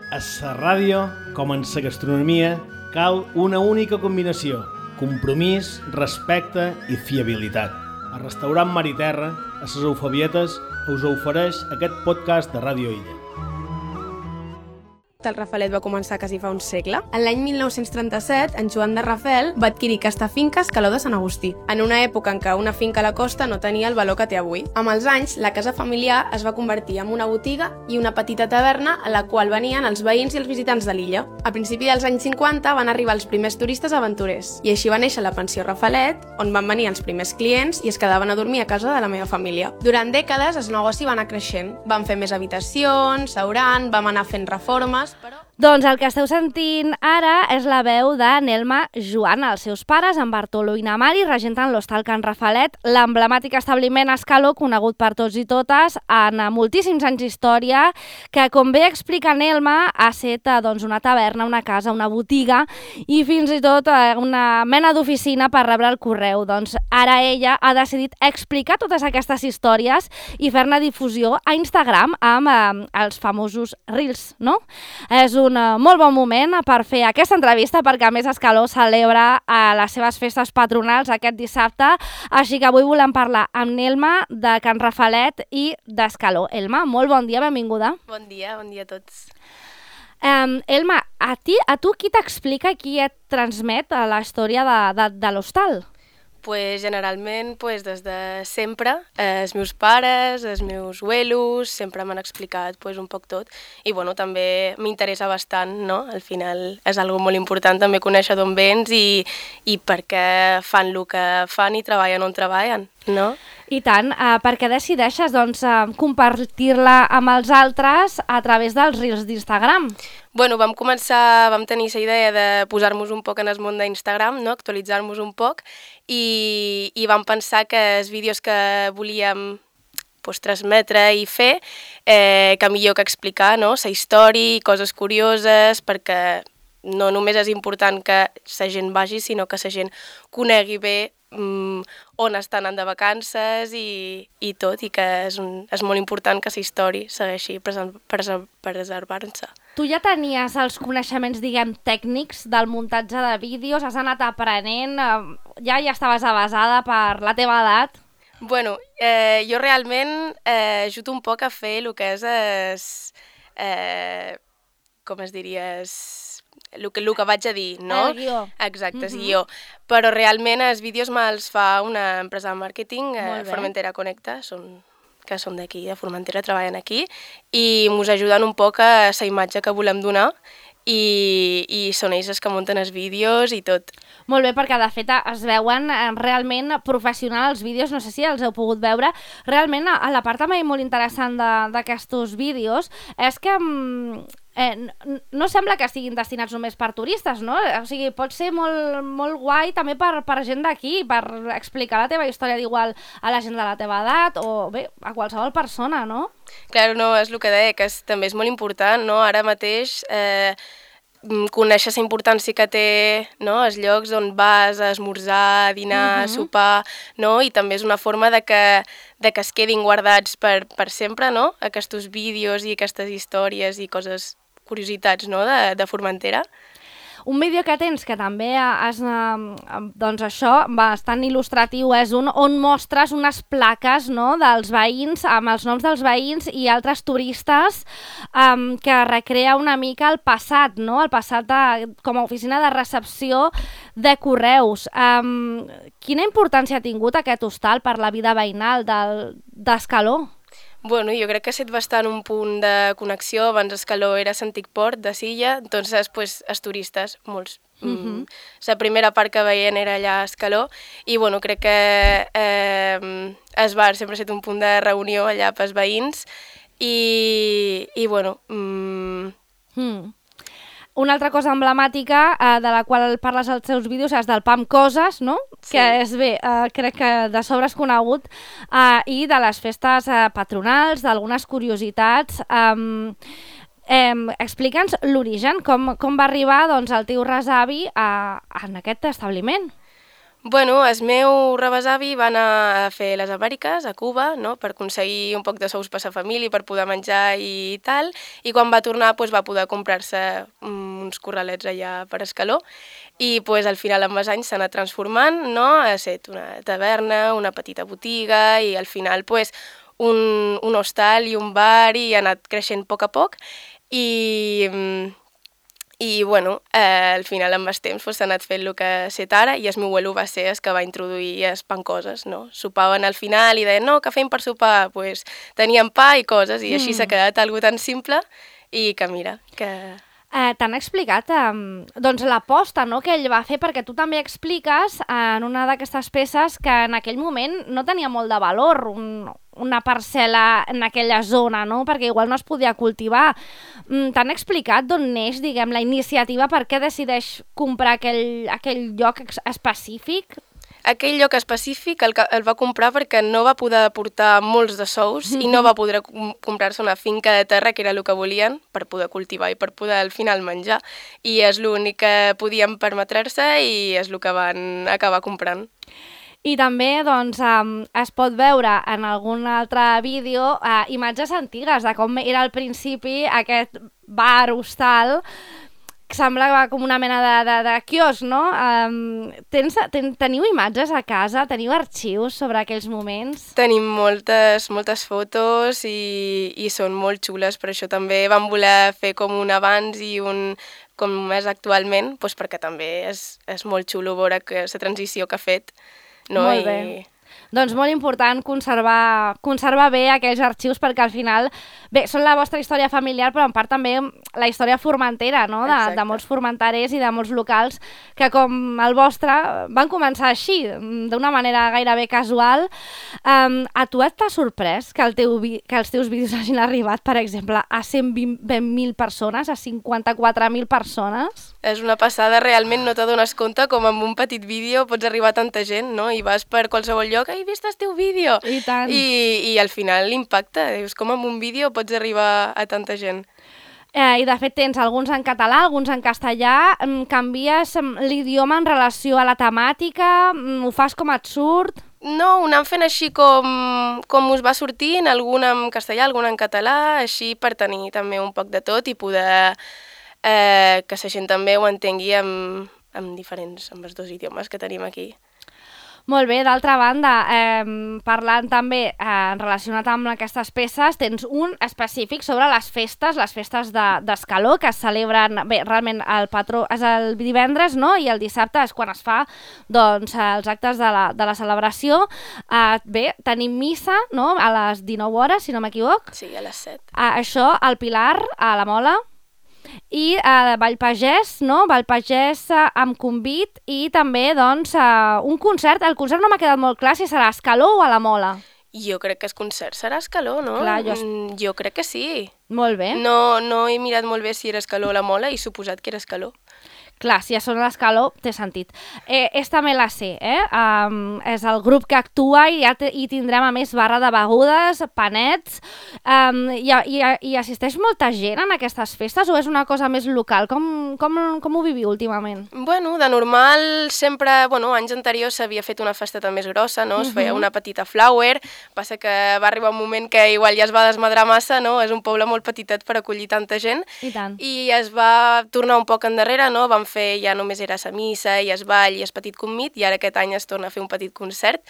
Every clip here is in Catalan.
A la ràdio, com en la gastronomia, cal una única combinació: compromís, respecte i fiabilitat. El restaurant Mar i Terra, a les Eufebietes, us ofereix aquest podcast de Ràdio Illa. El Rafelet va començar quasi fa un segle. En l'any 1937, en Joan de Rafel va adquirir aquesta finca a Escaló de Sant Agustí, en una època en què una finca a la costa no tenia el valor que té avui. Amb els anys, la casa familiar es va convertir en una botiga i una petita taverna a la qual venien els veïns i els visitants de l'illa. A principi dels anys 50 van arribar els primers turistes aventurers, i així va néixer la pensió Rafelet, on van venir els primers clients i es quedaven a dormir a casa de la meva família. Durant dècades, el negoci va anar creixent. Van fer més habitacions, restaurant, vam anar fent reformes, però... Doncs el que esteu sentint ara és la veu de Nelma Joana. Els seus pares, en Bartolo i na Mari, regenten l'Hostal Can Rafelet, l'emblemàtic establiment a Escaló, conegut per tots i totes, en moltíssims anys d'història, que, com bé explica Nelma, ha estat una taverna, una casa, una botiga i fins i tot una mena d'oficina per rebre el correu. Doncs ara ella ha decidit explicar totes aquestes històries i fer-ne difusió a Instagram amb els famosos Reels, no? És un molt bon moment per fer aquesta entrevista, perquè a més Escaló celebra les seves festes patronals aquest dissabte, així que avui volem parlar amb Nelma de Can Rafelet i d'Escaló. Elma, molt bon dia, benvinguda. Bon dia a tots. Elma, a tu qui t'explica, qui et transmet la història de l'hostal? Pues generalment des de sempre, els meus pares, els meus abuelos, sempre m'han explicat un poc tot i també m'interessa bastant, no? Al final és algo molt important també conèixer d'on vens i per què fan el que fan i treballen on treballen, no? I tant, perquè decideixes compartir-la amb els altres a través dels Reels d'Instagram? Vam tenir la idea de posar-nos un poc en el món d'Instagram, no? Actualitzar-nos un poc i vam pensar que els vídeos que volíem transmetre i fer, que millor que explicar, no? La història i coses curioses, perquè no només és important que la gent vagi, sinó que la gent conegui bé on estan anant de vacances i tot, i que és molt important que la història segueixi preservant-se. Tu ja tenies els coneixements, tècnics del muntatge de vídeos, has anat aprenent, ja estaves avasada per la teva edat? Jo realment ajudo un poc a fer el que és, com es diria, el que vaig a dir, no? El guió. Exacte, el guió. Però realment els vídeos me'ls fa una empresa de màrqueting, Formentera Connecta, que són d'aquí, de Formentera, treballen aquí, i ens ajuden un poc a la imatge que volem donar i són ells els que munten els vídeos i tot. Molt bé, perquè de fet es veuen realment professionals els vídeos, no sé si els heu pogut veure. Realment, a la part també molt interessant d'aquests vídeos és que no sembla que estiguin destinats només per turistes, no? O sigui, pot ser molt, molt guai també per gent d'aquí, per explicar la teva història d'igual a la gent de la teva edat o bé, a qualsevol persona, no? Clar, no, és el que deia, que també és molt important, no? Ara mateix conèixer la importància que té, no? Els llocs on vas a esmorzar, a dinar, a sopar, no? I també és una forma de que es quedin guardats per sempre, no? Aquests vídeos i aquestes històries i coses, curiositats, no? De Formentera. Un vídeo que tens que també és, doncs això, bastant il·lustratiu, és on mostres unes plaques, no?, dels veïns, amb els noms dels veïns i altres turistes, que recrea una mica el passat, no?, el passat com a oficina de recepció de correus. Quina importància ha tingut aquest hostal per la vida veïnal d'Escaló? Jo crec que ha estat bastant un punt de connexió. Abans Escaló era l'antic port de Silla, doncs després els turistes, molts. La primera part que veien era allà a Escaló i crec que es bar sempre ha estat un punt de reunió allà pels veïns i Una altra cosa emblemàtica de la qual parles als teus vídeos és del PAM Coses, no? Sí. Que és bé, crec que de sobre és conegut, i de les festes patronals, d'algunes curiositats. Explica'ns l'origen, com va arribar el teu resavi en aquest establiment. Bueno, el meu rebesavi va anar a fer les Amèriques, a Cuba, no?, per aconseguir un poc de sous per sa família, per poder menjar i tal, i quan va tornar va poder comprar-se uns corralets allà per Escaló, i al final amb els anys s'ha anat transformant, no?, ha estat una taverna, una petita botiga, i al final un hostal i un bar, i ha anat creixent a poc, i bueno, al final amb el temps s'ha anat fent el que ha estat ara, i el meu abuelo va ser el que va introduir les pancoses, no? Sopaven al final i deien, no, què fem per sopar? Pues teníem pa i coses, i així s'ha quedat algo tan simple, i que mira, que... T'han explicat doncs l'aposta, no?, que ell va fer, perquè tu també expliques en una d'aquestes peces que en aquell moment no tenia molt de valor una parcel·la en aquella zona, no?, perquè igual no es podia cultivar. T'han explicat d'on neix, diguem, la iniciativa, per què decideix comprar aquell lloc específic? Aquell lloc específic el va comprar perquè no va poder aportar molts de sous i no va poder comprar-se una finca de terra, que era el que volien, per poder cultivar i per poder al final menjar. I és l'únic que podien permetre-se i és el que van acabar comprant. I també doncs, es pot veure en algun altre vídeo imatges antigues de com era al principi aquest bar hostal, que sembla com una mena de quiosc, no? Teniu imatges a casa? Teniu arxius sobre aquells moments? Tenim moltes fotos i són molt xules, per això també vam voler fer com un abans i un com és actualment, perquè també és molt xulo veure la transició que ha fet. No? Molt bé. Doncs molt important conservar bé aquells arxius, perquè al final, bé, són la vostra història familiar, però en part també la història formentera, no?, de molts formenterers i de molts locals que, com el vostre, van començar així, d'una manera gairebé casual. A tu t'ha sorprès que els teus vídeos hagin arribat, per exemple, a 120.000 persones, a 54.000 persones? És una passada, realment no t'adones compte com amb un petit vídeo pots arribar a tanta gent, no?, i vas per qualsevol lloc, he vist el teu vídeo! I tant! I al final l'impacte, dius, com amb un vídeo pots arribar a tanta gent. I de fet tens alguns en català, alguns en castellà, canvies l'idioma en relació a la temàtica, ho fas com et surt? No, ho anem fent així com us va sortint, algun en castellà, algun en català, així per tenir també un poc de tot i poder que la gent també ho entengui amb els dos idiomes que tenim aquí. Molt bé, d'altra banda, parlant també relacionat amb aquestes peces, tens un específic sobre les festes d'Escaló, que es celebren, bé, realment el patró és el divendres, no?, i el dissabte és quan es fa, doncs, els actes de la celebració. Bé, tenim missa, no?, a les 19 hores, si no m'equivoc. Sí, a les 7. Això, al Pilar, a la Mola. I Vallpagès, no? Vallpagès amb convit i també, doncs, un concert. El concert no m'ha quedat molt clar si serà a Escaló o a la Mola. Jo crec que el concert serà a Escaló, no? Clar, jo crec que sí. Molt bé. No he mirat molt bé si era Escaló o la Mola i suposat que era Escaló. Clar, si ja són a l'Escaló, té sentit. Esta me la sé, és el grup que actua i ja hi tindrem, a més, barra de begudes, panets, i assisteix molta gent en aquestes festes o és una cosa més local? Com ho viviu últimament? Bueno, de normal sempre, anys anteriors s'havia fet una festeta més grossa, no? Es feia una petita flower, passa que va arribar un moment que igual ja es va desmadrar massa, no? És un poble molt petitet per acollir tanta gent. I tant. I es va tornar un poc endarrere, no? Vam fer, ja només era la missa i el ball i el petit convit, i ara aquest any es torna a fer un petit concert.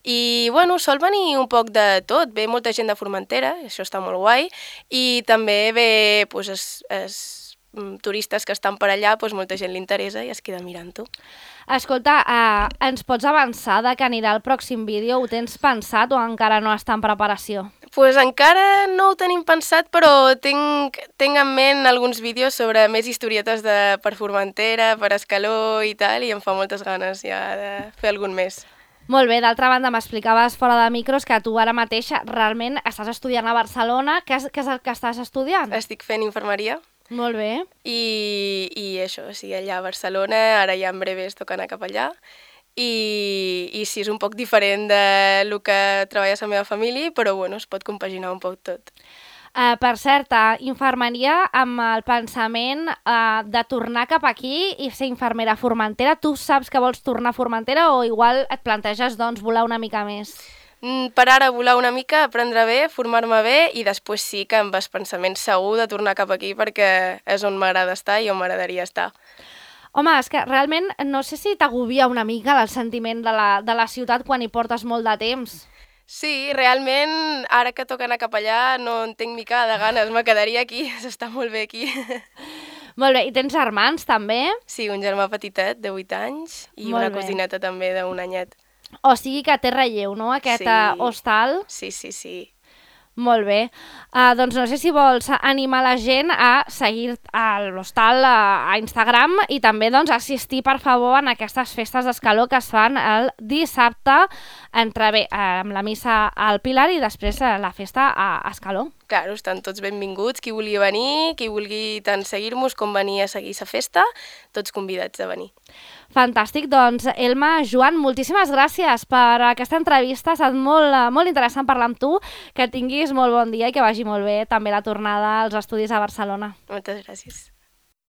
I, sol venir un poc de tot, ve molta gent de Formentera, això està molt guai, i també ve, els turistes que estan per allà, molta gent li interessa i es queda mirant-ho. Escolta, ens pots avançar de que anirà el pròxim vídeo? Ho tens pensat o encara no està en preparació? Encara no ho tenim pensat, però tinc en ment alguns vídeos sobre més historietes per Formentera, per Escaló i tal, i em fa moltes ganes ja de fer algun més. Molt bé, d'altra banda m'explicaves fora de micros que tu ara mateix realment estàs estudiant a Barcelona. Què és el que estàs estudiant? Estic fent infermeria. Molt bé. I això, sí, allà a Barcelona, ara ja en breve es toca anar cap allà. I sí, és un poc diferent del que treballa la meva família, però es pot compaginar un poc tot. Per cert, infermeria amb el pensament de tornar cap aquí i ser infermera a Formentera. Tu saps que vols tornar a Formentera o igual et planteges doncs, volar una mica més? Per ara volar una mica, aprendre bé, formar-me bé i després sí que amb el pensament segur de tornar cap aquí perquè és on m'agrada estar i on m'agradaria estar. Home, és que realment no sé si t'agobia una mica el sentiment de la ciutat quan hi portes molt de temps. Sí, realment, ara que toca anar cap allà no en tinc mica de ganes, me quedaria aquí, s'està molt bé aquí. Molt bé, i tens germans també? Sí, un germà petitet de 8 anys i Molt una bé. cosineta també d'un anyet. O sigui que té relleu, no?, aquest hostal. Sí, sí, sí. Molt bé. Doncs no sé si vols animar la gent a seguir l'hostal a Instagram i també doncs, assistir, per favor, en aquestes festes d'Escaló que es fan el dissabte amb la missa al Pilar i després la festa a Escaló. Claro, estan tots benvinguts, qui vulgui venir, qui vulgui tant seguir-nos com venir a seguir la festa, tots convidats a venir. Fantàstic, doncs Elma, Joan, moltíssimes gràcies per aquesta entrevista, ha estat molt interessant parlar amb tu, que tinguis molt bon dia i que vagi molt bé també la tornada als estudis a Barcelona. Moltes gràcies.